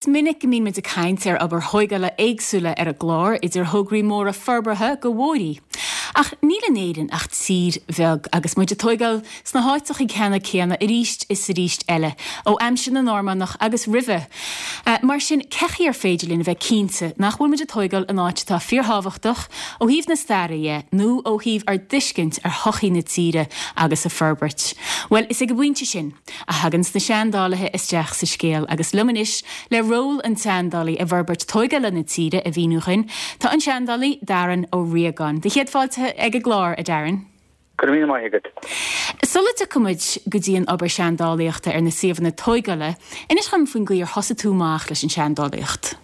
Is minic go mbíonn muid ag caint ar obair thóigeála éagsúla ar an gclár, idir thograí móra forbartha go bhóithrí. Ach níl in Éirinn ach tír bheag, agus muid ag tóigeáil sna háiteacha ceanna céanna arís is arís eile, ó aimsir na Normannach agus roimhe. Mar sin, cé chaoi ar féidir linn a bheith cinnte nach bhfuil muid ag tóigeáil in áit atá fíorthábhachtach ó thaobh na staire dhe, nó ó thaobh ár dtuiscint ar shochaí na tíre agus a forbairt? Bhuel, is ag an bpointe sin, a thaganns na seandálaithe isteach sa scéal agus liom anois le ról an tseandálaí i bhforbairt tóigeála na tíre a mhíniú dhuinn, tá an seandálaí Darren Ó Riagáin. Do chéad fáilte ag an gclár, a Darren. Go raibh míle maith agat. Sula dtiocfaidh muid go dtí an obair seandálaíochta ar na suíomhanna tóigeála, inis dhom faoin gcaoi ar thosaigh tú amach leis an seandálaíocht.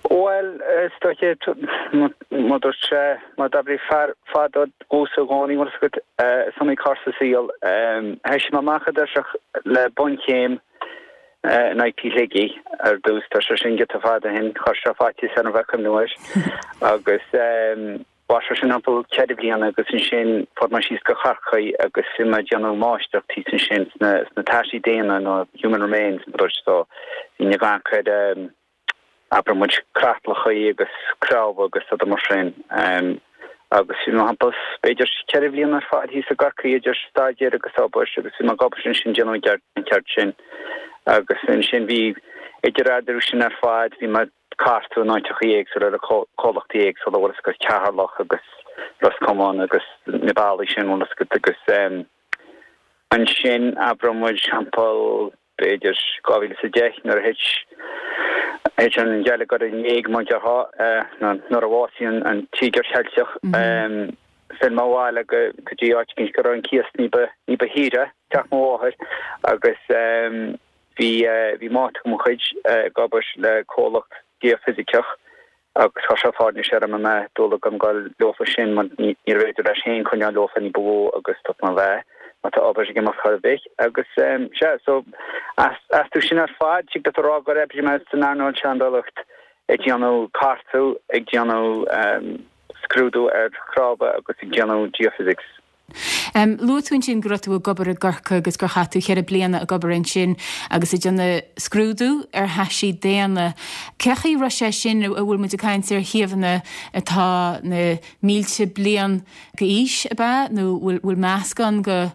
Bhuel, is dóiche, mar dúirt sé, mar d'abraí fear fadó domhsa i gcónaí, bhfuil fhios agat, is iomaí cor sa saol. Thoisigh mé amach i dtoiseach le bunchéim in IT Shligigh ar dtús, tá sé sin giota fada ó shin, chuir sé faitíos orm a bheith ag cuimhniú air. Agus mhair sé sin thimpeall ceithre bliana agus ansin fuair mé síos go Corcaigh agus bhí mé ag déanamh máistreacht thíos ansin sna, sna taisí daonna nó human remains mar dúirt so bhínn ag amharc ar abair muid creatlachaí agus cnámha agus rudaí mar sin. Agus bhí mé thimpeall b'fhéidir ceithre bhliana ar fad thíos i gCorcaigh idir staidéar agus obair agus bhí mé ag obair ansin déanamh an ceird sin. Agus ansin bhí idir eadarthu sin ar fad bhí mé cartadh in áiteachaí éagsúla le comhlachtaí éagsúla, bhfuil fhios agat, Ceatharlach agus Ros Comáin agus na bealaí sin, bhfuil fhios agat, agus ansin, abair muid, thimpeall, b'fhéidir, 2010 nuair a thit, thit an geilleagar in éag, mar a déarfá, nuair a bhásaigh an Tíogar Cheilteach, phill mé abhaile go dtí áit éicint go raibh an cíos ní ba, ní ba shaoire, teach mo mháthair, agus. Bhí bhí mate de mo chuid ag obair le comhlacht geoifisiceach agus chuir sé fáirnéis orm an mbeadh dúil agam dul leofa sin mar níorbh fhéidir leis féin coinneáil leofa ní ba mhó agus dúirt mé bhuel má tá obair ag imeacht chor ar bith agus sea so astu sin ar fad tig leat a rá gur oibrigh mé san earnáil seandálaíocht ag déanamh cartadh ag déanamh scrúdú ar chnámha agus ag déanamh geophysics. Luaigh tú ansin go raibh tú ag obair i gCorcaigh agus gur chaith tú cheithre bliana ag obair ansin agus ag déanamh scrúdú ar thaisí daonna. Cé chaoi a raibh sé sin, an bhfuil muid ag caint ar shuíomhanna atá na mílte bliain d'aois, ab ea, nó bhfuil meascán de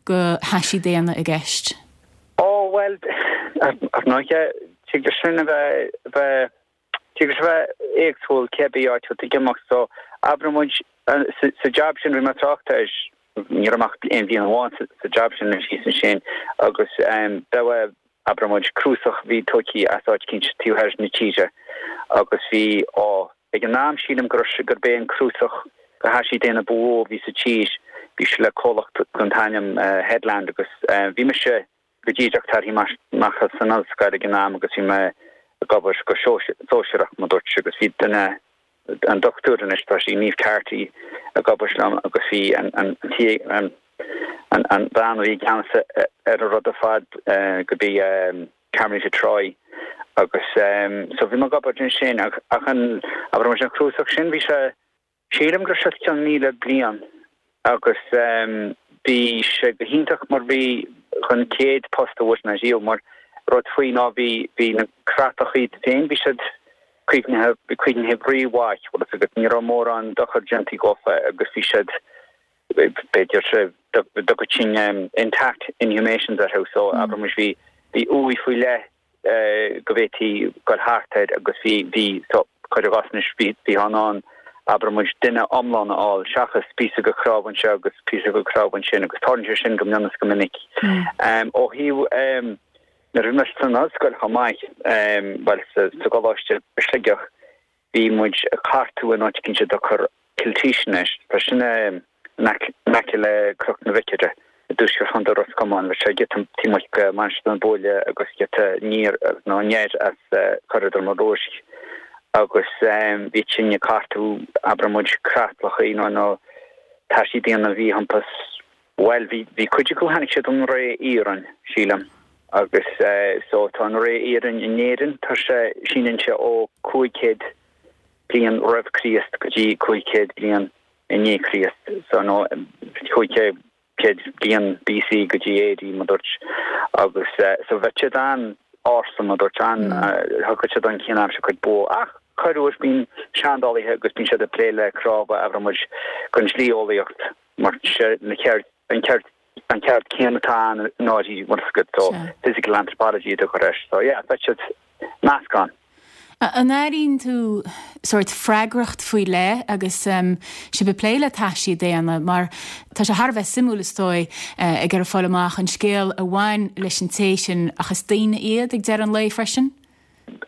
thaisí daonna i gceist? Ó, bhuel, ar ndóighe, tig leis sin a bheith Tig leis a bheith éagsúil cébí áit a bhfuil tú ag imeacht so abair muid sa jab sin bhí mé ag trácht air ní raibh mé ach aon bhliain amháin sa jab sin thíos ansin agus bheadh abair muid cnuasach bhí tógtha as áit eicínt taobh thoir na tíre agus bhí á ag an am sílim go raibh gurb é an cnuasach de thaisí daonna ba mhó a bhí sa tír bhí sé le comhlacht den t-ainm Headland agus bhí mise go díreach tartha amach as an ollscoil ag an am agus bhí mé ag obair go sóisearach, mar dúirt agus bhí duine, an dochtúir anois, tá sí, Niamh Carty, ag obair liom agus bhí an an an an an bhean a bhí i gceannas ar an rud ar fad gurb í Carmelita Troy agus so bhí mé ag obair ansin ach ach an abair muid an cnuasach sin bhí sé Sílim go raibh sé os cionn 1,000 bliain agus bhí sé go hiontach mar bhí an chéad post a bhfuair mé riamh mar rud faoi ná bhí bhí na creatlacha iad féin bhí siad caomhnaithe caomhnaithe rímhaith bhfuil fhios agat ní raibh mórán dochar déanta dhófa agus bhí siad b'fhéidir dtugtar sin intact inhumations orthu so abair muid bhí bhí uaigh faoi leith go bhféadfaí dul thart air agus bhí, bhí, so, cuir i gcás anois, bhí, bhítheá in ann, abair muid, duine iomlán a fháil seachas píosa de chnámh anseo agus píosa de chnámh ansin agus tarlaíonn sé sin go mion is go minic. Ó thaobh, nuair a bhí mé san ollscoil chomh maith, bhuel, sa, sa gcoláiste i Sligeach, Bhí muid ag cartú in áit eicínt a dtugtar Kilteashan air. Tá sin in aice le Cnoc na Bhiocaire i dtuaisceart Chontae Ros Comáin. Bheadh sé giota taobh amuigh de Mhainistir na Búille agus giota aniar nó anoir as Cora Droma Ruaisc. Agus bhí sinn ag cartú, abair muid, creatlachaí nó nó taisí daonna a bhí thimpeall Bhuel, bhí, bhí cuid acu, tháinig siad ón ré iarainn, sílim, agus so tá an ré iarainn in Éirinn, tá sé, síneann sé ó 500 bliain roimh Chríost go dtí 500 bliain i ndiaidh Chríost, so nó 500 bliain BC go dtí AD, mar dúirt, agus so bheadh siad an. ársa mar dúirt an, thiocfadh siad an chéanna aimsir cuid ba mhó. Ach corruair bíonn seandálaithe agus bíonn siad ag plé le cnámha abair muid don dlí-eolaíocht mar sé na ceird, an ceird, an ceird céanna atá ann i ndáiríre bhfuil fhios agat so physical anthropology a tugtar air so yeah beidh siad meascán. An airíonn tú sórt freagracht faoi leith agus sibh ag plé le taisí daonna mar tá sé thar a bheith suimiúil is dóigh ag iarraidh fáil amach an scéal a bhain leis an té sin ach is daoine iad ag deireadh an lae freisin?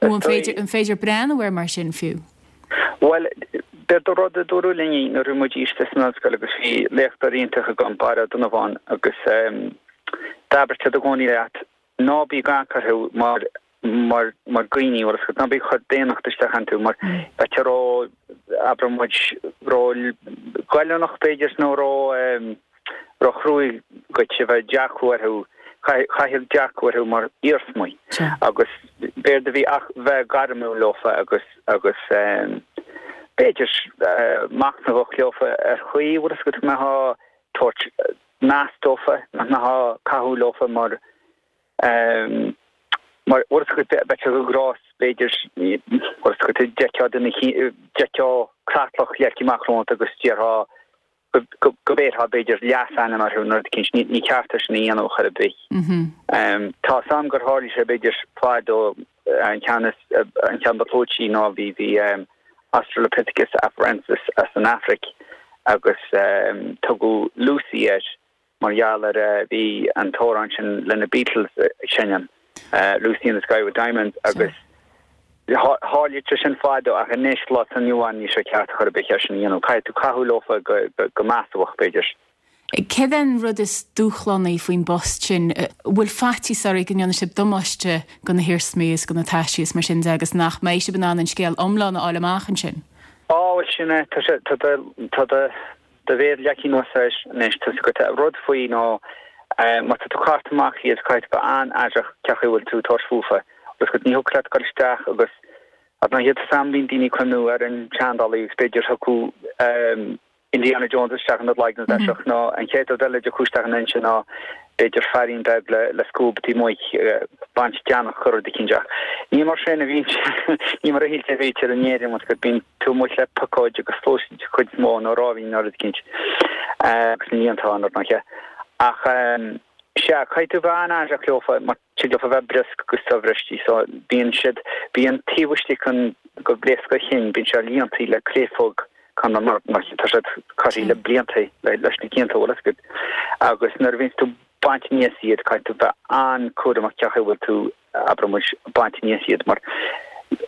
Nó an féidir an féidir breathnú air mar sin fiú? Bhuel, b'éard an rud a dúradh linn nuair a bhí muid istigh san ollscoil agus bhí léachtóir iontach agam, Barra Ó Donnabháin, agus d'abair siad i gcónaí leat ná bí ag amharc orthu mar mar mar dhaoine, bhfuil fhios agat, ná bí ag cur daonnacht isteach iontu mar bheadh sé ró, abair muid, ró ghoilliúnach b'fhéidir nó ró ró chruaidh dhuit a bheith ag dearcadh orthu, caithfidh dearcadh orthu mar iarsmaí agus b'éard a bhí ach bheith gairmiúil leofa agus agus b'fhéidir machnamhach leofa ar chaoi, bhfuil fhios agat, go mbeifeá tabhairt meas dófa, nach mbeifeá caitheamh leofa mar mar bhfuil fhios agat bheadh sé go grás b'fhéidir bhfuil fhios agat d'fheicfeá duine d'fheicfeá creatlach leagtha amach romhat agus déarfá go go mbéarfá b'fhéidir leasainm orthu nó rud eicínt. Ní ceart é sin a dhéanamh chor ar bith. Tá 'fhios a'm gur tharlaigh sé b'fhéidir fadó an ceann is an ceann ba chlúití ná bhí bhí Australopithecus afarensis as an Afraic agus tugadh Lucy air mar gheall ar bhí an t-amhrán sin le na Beatles ag seinm, Lucy in the Sky with Diamonds agus tharlaigh sé sin fadó ach anois lá atá inniu ann níl sé ceart chor ar bith é sin a dhéanamh. Caithfidh tú caitheamh leofa go measmhach b'fhéidir. Céard é an rud is dúshlánaí faoin bpost sin? An bhfuil faitíos oraibh go ndéanfaidh sibh damáiste do na hiarsmaí is do na taisí is mar sin de agus nach mbeidh sibh in ann an scéal iomlán a fháil amach ansin? Á, bhuel sin é. Tá sé, tá do, tá do, do mhéar leagtha anuas air anois. Tá 'fhios agat, an rud faoi ná má tá tú ag cartadh amach iad caithfidh tú bheith an-aireach cén chaoi a bhfuil tú ag tabhairt fúthu. Bhfuil 'fhios agat, ní thiocfadh leat dul isteach agus, ar ndóigh, tá 'fhios a'm bíonn daoine ag cuimhniú ar an tseandálaí agus b'fhéidir thiocfadh Indiana Jones isteach ina gcloigeann bheadh nó an chéad rud eile a dtiocfadh isteach ina intinn ná b'fhéidir feairín beag le le scuab taobh amuigh ag baint deannach nó rud eicínt ach ní mar sin a bhíonn ní mar a shíltear a bhítear in Éirinn mar bíonn tú amuigh le piocóid agus sluasaid den chuid is mó nó ráibín nó rud eicínt agus na líontáin ar ndóighe ach sea caithfidh tú bheith an-aireach leofa mar Tig leofa bheith briosc agus sobhristí so bíonn siad, bíonn taobh istigh an go bpléasc a chinn, bíonn sé líontaí le créafóg kind of mar mar tá siad curtha le blianta leis na cianta bhfuil fhios agat. Agus nuair a bhíonns tú baint aníos iad caithfidh tú bheith an-cúramach cén chaoi a bhfuil tú abair muid baint aníos iad mar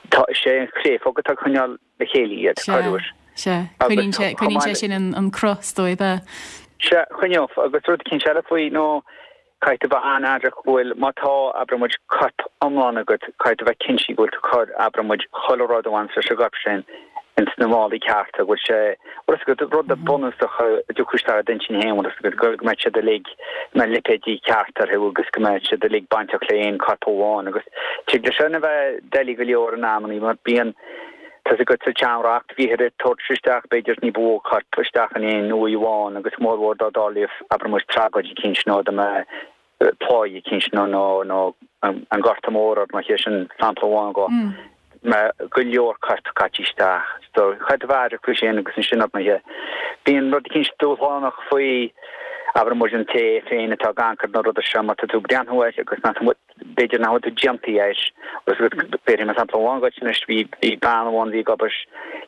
tá is é an chréafóg atá ag coinneáil le chéile iad, corruair. Sea, sea. Coinníonn sé, coinníonn sé sin an cruth is dóigh, ab ea? Sea, choinneodh. Agus rud eicínt eile faoi nó Caithfidh tú bheith an-aireach go bhfuil, má tá, abair muid, corp iomlán agat, caithfidh tú bheith cinnte go bhfuil tú ag cur, abair muid, chuile rud a bhaineas leis an gcorp sin ins na málaí cearta, go bhfuil sé, bhfuil fhios agat, rud bunúsach a dtiocfadh isteach i d'intinn féin, bhfuil fhios agat, go mbeidh siad uilig, go mbeidh lipéidí ceart orthu agus go mbeidh siad uilig bainteach le aon corp amháin agus tig leis sin a bheith doiligh go leor in amannaí mar bíonn, Tá 'fhios agat sa tseanreacht, bhíthear ag tabhairt isteach b'fhéidir ní ba mhó coirp isteach in aon uaigh amháin agus mórmhór dá dtarlaíodh abair muid tragóid eicínt nó dá mbeadh pláigh eicínt nó nó nó an Gorta Mór ar ndóigh sin sampla amháin go mbeadh go leor coirp caite isteach. So caithfidh tú bheith aireach faoi sin agus ansin ar ndóigh bíonn rud eicínt dúshlánach faoi abair muid an té féin atá ag amharc ar na rudaí seo má tá tú ag breathnú air agus nach b'fhéidir nach bhfuil tú déanta air. Agus bhéarfaidh mé sampla amháin dhuit anois, bhí bhí bean amháin a bhí ag obair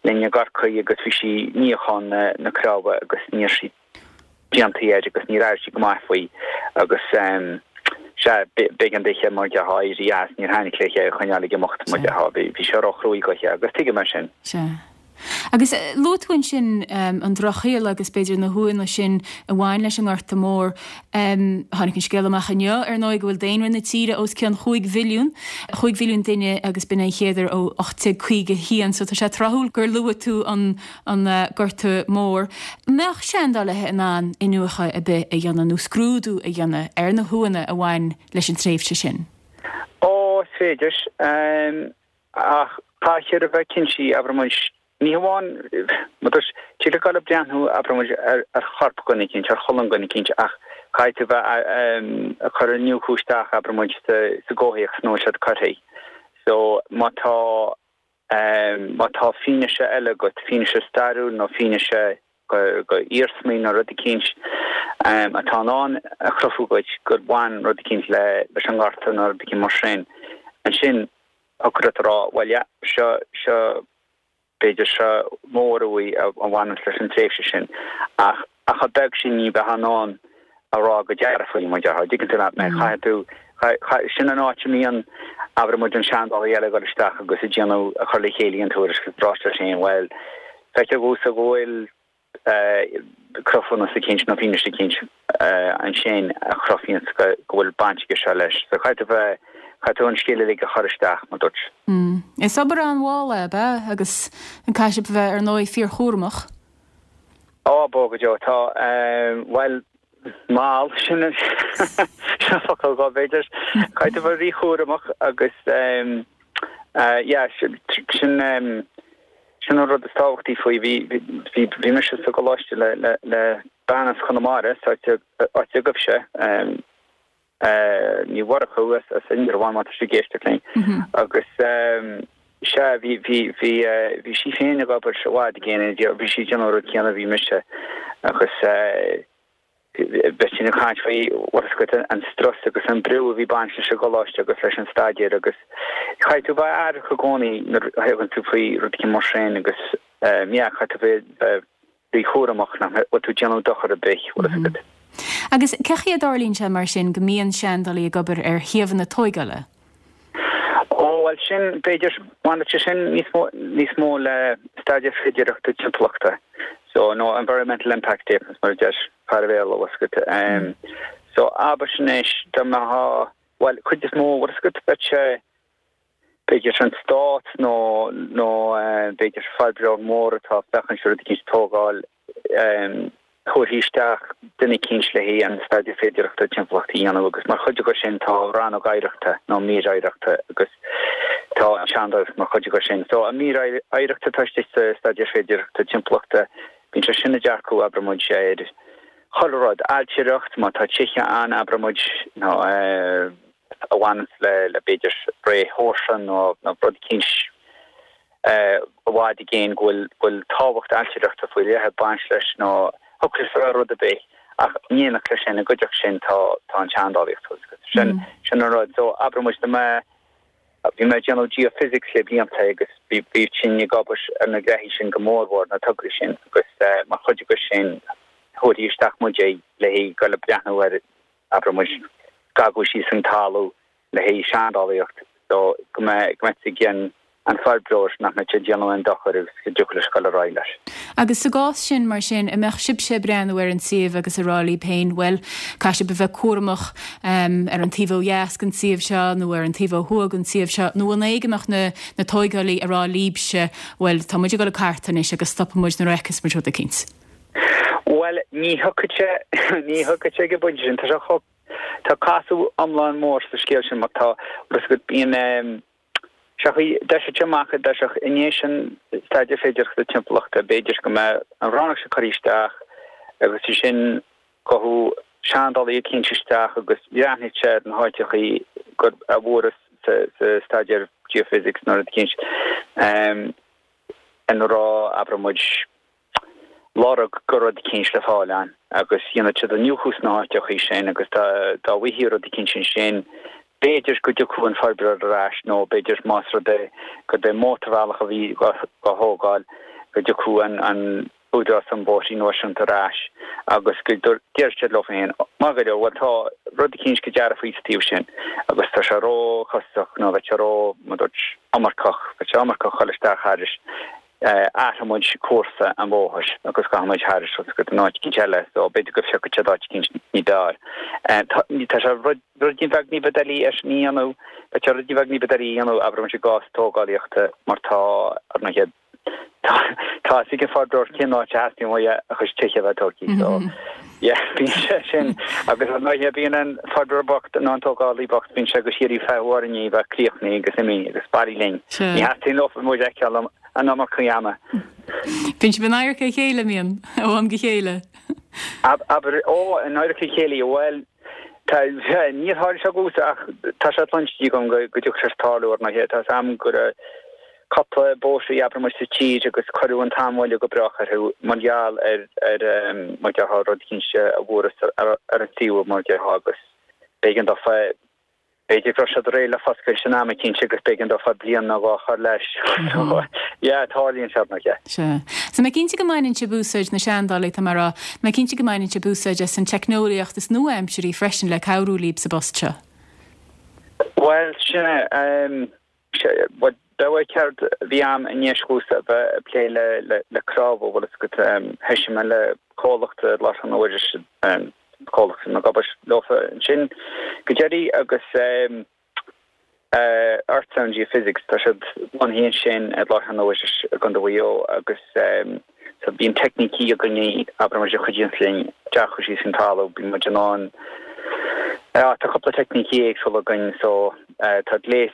linn i gCorcaigh agus bhí sí ag níochán na na cnámha agus ní raibh sí déanta air agus níor airigh sí go maith faoi agus sea, b'éigean dithe mar déarfá éirí as, níor thaitnigh léi é a choinneáil ag imeacht mar déarfá, bhí bhí sé róchruaidh dhuithe agus tuigim é sin. Sea. Agus luaigh tú ansin an Drochshaol agus b'fhéidir na huaigheanna sin a bhain leis an nGorta Mór. Tháinig an scéal amach inniu, ar ndóigh, go bhfuil daonra na tíre os cionn chúig mhilliún, chúig mhilliún duine agus b'in é an chéad uair ó 1851, so tá sé tráthúil gur luaigh tú an Gorta Mór. An mbeadh seandálaithe in ann iniúchadh ar bith a dhéanamh nó scrúdú a dhéanamh ar na huaigheanna a bhain leis an tréimhse sin? Ó, is féidir. Ach caithfear a bheith cinnte, abair muid. Ní hamháin, mar dúirt, tig leat dul ag breathnú, abraigh muid, ar chorp dhuine eicínt, ar cholainn dhuine eicínt, ach caithfidh tú bheith ag cur iniúchadh isteach, abraigh muid, sa gcomhthéacs ina bhfuil siad curtha. So, má tá, má tá fianaise eile agat, fianaise stairiúil nó fianaise go iarsmaí nó rud eicínt atá in ann a chruthú dhuit gur bhain rud eicínt leis an ngorta nó rud eicínt mar sin, ansin thiocfadh leat a rá, bhuel yeah, seo, seo, b'fhéidir seo mór-uaigh a bhaineanns leis an tréimhse sin, ach ach chomh beag sin ní bheifeá in ann a rá go dearfa faoi, mar a déarfá, dtuigeann tú leat mé, caithfidh tú, sin an áit a mbíonn, abraigh muid, an seandálaí eile ag dul isteach agus ag déanamh, ag cur le chéile an tuairisc agus rá leis féin, bhuel, feictear domhsa go bhfuil cruthúnas eicínt nó fianaise eicínt ansin a chruthaíonns go bhfuil baint aige seo leis. So caithfidh tú bheith, caithfidh tú an scéal uilig a chur isteach, mar dúirt. Is obair an-mhall é, ab ea? Agus an caithfidh sibh a bheith, ar ndóigh, fíorchúramach? Á, bó go deo. Tá, bhuel, mall, sin an focal dhó, b'fhéidir. Caithfidh tú bheith ríchúramach agus, yeah, sin, Sin an rud is tábhachtaí faoi. Bhí, bhí, bhí mise sa gcoláiste le, le, le bean as Conamara, sa áit a, áit a dtigaimse, Ní Mhurchú as, as Indreabhán, má tá sí ag éisteacht linn. Agus sea, bhí, bhí, bhí, bhí sí féin ag obair i bhfad i gcéin, bhí sí ag déanamh an rud céanna a bhí mise agus, Bheadh sinn ag caint faoi, bhfuil a fhios agat, an strus agus an brú a bhí ag baint leis an gcoláiste agus leis an staidéar agus caithfidh tú bheith aireach i gcónaí nuair a thagann tú faoi rud éigin mar sin agus yeah, caithfidh tú bheith ríchúramach nach bhfuil tú ag déanamh dochar ar bith, bhfuil a fhios agat. Agus cén chaoi a dtarlaíonn sé mar sin go mbíonn seandálaí ag obair ar shuíomhanna tóigeála? Ó, bhuel sin, b'fhéidir, baineann sé sin níos mó, níos mó le staidéar féidearthachta timpeallachta, so, nó environmental impact statements mar a deir fear an Bhéarla, bhfuil a fhios agat. So, abair anois, dá mbeifeá, bhuel, cuid is mó, bhfuil a fhios agat, bheadh sé, b'fhéidir an stát nó, nó b'fhéidir forbróir mór atá ag féachaint rud eicínt a tógáil, thabharfaí isteach duine eicínt le haghaidh an staidéar féidearthachta timpeallachta a dhéanamh agus mar chuid de sin tá rannóg oidhreachta nó mír oidhreachta agus tá an tseandálaíocht mar chuid de sin. So an mír oidhreachta atá istigh sa staidéar féidearthachta timpeallachta, bíonn sé sin ag dearcadh, abraigh muid, ar chuile rud, ailtireacht, má tá tithe ann, abraigh muid, nó a bhaineanns le b'fhéidir ré Sheoirse nó rud eicínt i bhfad i gcéin go bhfuil tábhacht ailtireachta faoi leith ag baint leis nó thiocfadh leis a bheith rud ar bith ach in éineacht leis sin, i gcuideachta sin tá tá an tseandálaíocht sin sin an rud. So abraigh muid dá mbeadh bhí mé ag déanamh geophysics le blianta agus bhí bhí sinn ag obair ar na gréithí sin go mórmhór, na tograí sin agus mar chuid de sin thabharfaí isteach muid é le haghaidh dul ag breathnú ar abraigh muid scagadh síos an talamh le haghaidh seandálaíocht so go mbeidh go mbeidh ag an an forbróir nach mbeidh sé ag déanamh aon dochar agus go dtiocfadh leis dul ar aghaidh leis. Agus sa gcás sin, mar sin, an mbeadh sibhse ag breathnú ar an suíomh agus ag rá libh féin, bhuel, caithfidh sibh a bheith cúramach ar an taobh ó dheas den suíomh seo nó ar an taobh ó thuaidh den suíomh seo, nó an é go mbeadh na na tóigeálaí ag rá libhse, bhuel, tá muid ag dul ag cartadh anois agus stopfaidh muid nuair a fheicfeas muid rud eicínt? Bhuel, ní thiocfadh sé, ní thiocfadh sé ag an bpointe sin, tá sé chomh Tá casadh iomlán mór sa scéal sin mar tá, bhfuil a fhios agat, bíonn sé d'eisigh amach i dtosach i ndiaidh an staidéar féidearthachta timpeallachta, b'fhéidir go mbeadh an rannóg seo curtha isteach agus ansin gabhfaidh seandálaí eicínt isteach agus bhreathnaigh sé ar na háiteachaí gur a fuarthas sa staidéar geophysics nó rud eicínt ina raibh, abraigh muid, lorg go rud eicínt le fáil ann agus dhéanfadh siad iniúchadh sna háiteachaí sin agus dá bhfaighfí rud eicínt ansin b'fhéidir go dtiocfadh an forbróir ar ais nó b'fhéidir más rud é gurb é mótarbhealach a bhí á thógáil go dtiocfadh an an Údarás um Bóithrí Náisiúnta ar ais agus go déarfadh siad leo féin, maith go leor, bhuel tá rud eicínt go dearfa sa taobh sin agus tá sé ró-chostasach nó bheadh sé ró, mar dúirt, iomarcach, bheadh sé iomarcach dhul isteach thairis. athróidh muid cúrsa an bhóthair agus gabhfaidh muid thairis agus go dtí áit eicínt eile so b'fhéidir go bhfiocfaidh siad áit eicínt ní b'fhearr. Tá sé ruidín beag ní ba doiligh é sin a dhéanamh, tá sé ruidín beag ní ba doiligh a dhéanamh abair muid i gcás tógálaíochta mar tá, ar ndóighe, tá tá a fhios ag an forbróir cén áit a theastaíonn uaidh a chuid tithe a bheith tógtha so yeah bíonn sé sin agus ar ndóighe bíonn an forbróir bocht nó an tógálaí bocht bíonn sé go síoraí ag feitheamh orainn í a bheith críochnaithe agus imithe agus bailigh linn. Ní theastaíonn leo muid a fheiceáil. an iomarca ama. Bíonn sibh in adharca a chéile, an mbíonn, ó am go chéile? Abair, ó, in adharca a chéile, bhuel, tá, níor tharla sé domhsa ach tá sé cluinste agam go dtiocfadh sé tarlú ar ndóighe. Tá 'fhios a'm go raibh cúpla bóithrí, abair muid, sa tír agus cuireadh an t-am moille go brách orthu mar gheall ar, ar, mar déarfá, rud eicínt a fuarthas ar an suíomh, mar déarfá, agus b'éigean dófa, b'fhéidir go raibh siad réidh le foscailt in am eicínt agus b'éigean dófa bliain nó dhó a chur leis. So, yeah, tarlaíonn sé, ar ndóighe. Sea. So mé cinnte go mbaineann sibh úsáid, na seandálaithe, tá mé a rá, mé cinnte go mbaineann sibh úsáid as an teicneolaíocht is nua-aimsirí freisin le cabhrú libh sa bpost seo. Bhuel, sin é. Bhuel, b'é ceard a bhí a'm i ndeis dhomhsa a bheith ag plé le cnámha, bhfuil fhios agat, thoisigh mé le comhlacht i láthair na huaire, comhlacht a bhí mé ag obair leofa ansin go deiridh agus Earthsound Geophysics, tá siad lonnaithe ansin i láthair na huaire i gContae Mhaigh Eo agus so bíonn teicnící againne, abair muid, a chuidíonns linn dearcadh síos faoin talamh, bíonn muid in ann, tá cúpla teicnící éagsúla againn so tá gléas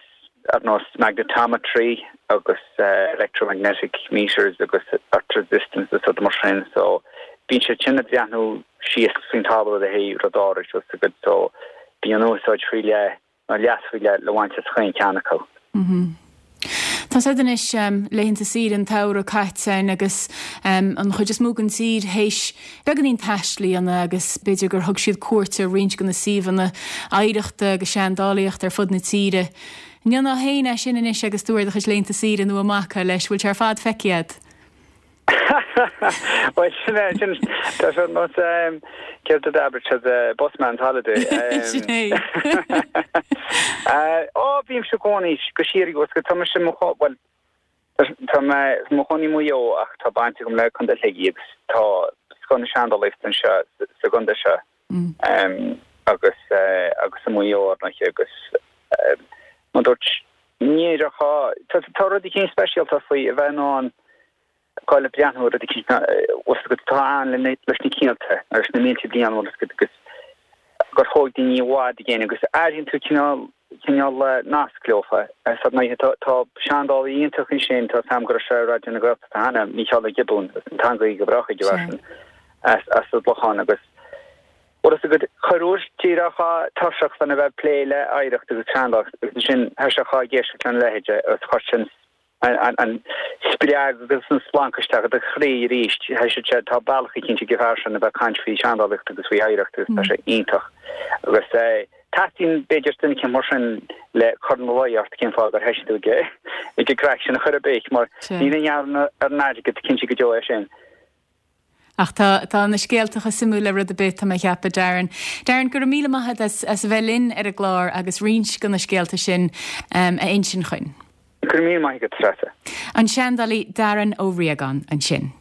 ar nós magnetometry agus electromagnetic meters agus earth resistance is rudaí mar sin so bíonn siad sin ag breathnú síos faoin talamh le haghaidh rud áirid bhfuil 'fhios agat so bíonn úsáid faoi leith nó leas faoi leith le bhaint as chaon cheann acu. Tá 'fhios a'd anois, laethanta saoire an tsamhraidh caite againn agus an chuid is mó den tír théis beagáinín taistil a dhéanamh agus b'fhéidir gur thug siad cuairt ar roinnt de na suíomhanna oidhreachta agus seandálaíochta ar fud na tíre. An ndéanfá féin é sin anois agus tú ar do chuid laethanta saoire nó i mbaca leis, bhfuil sé ar fad feicthe a'd? Bhuel, sin é, sin, tá sé ar nós, céard a d'abair siad, busman's holiday. Sin é. Ó, bímse i gcónaí go síoraí, bhfuil 'fhios agat, tá mise i mo, bhuel, tá mé i mo chónaí i Maigh Eo ach tá baint agam le Contae Shligigh agus tá scoth na seandálaíochta anseo sa gcontae seo agus agus i Maigh Eo ar ndóighe agus mar dúirt ní raibh, tá rud eicínt speisialta faoi a bheith in ann dul ag breathnú ar rud eicínt bhfuil 'fhios agat atá ann leis na cianta agus na mílte bliain bhfuil 'fhios agat agus gur thóg daoine i bhfad i gcéin agus airíonn tú cineál cineál nasc leofa. Ar ndóighe tá tá seandálaí iontach ansin tá 'fhios a'm go raibh sé ar Raidió na Gaeltachta cheana, Mícheál Ó Giobúin, agus an teanga go brách ag an bhfear sin as as an gClochán agus bhfuil 'fhios agat corruair d'éireofá tuirseach faoina bheith ag plé le hoidhreacht agus seandálaíocht agus ansin thoiseofá ag éisteacht lena leithéide agus chuir sin an spreag agus an splanc isteach i do chroí arís. Thoisigh sé, tá bealach eicínt ag an bhfear sin a bheith ag caint faoi sheandálaíocht agus faoi oidhreacht agus tá sé iontach. Agus teastaíonn b'fhéidir duine eicínt mar sin le cur ina luí ort cén fáth gur thoisigh tú ag an gcraic sin a chur ar bith mar ní i ngeall ar an airgead cinnte go deo é sin. Ach tá, tá na scéalta chomh suimiúil le rud ar bith, tá mé a cheapadh, Darren. Darren, go raibh míle maith agat as, as a bheith linn ar an gclár agus roinnt de na scéalta sin a insint chugainn. Go raibh míle maith agat, Treasa. An seandálaí Darren Ó Riagáin ansin.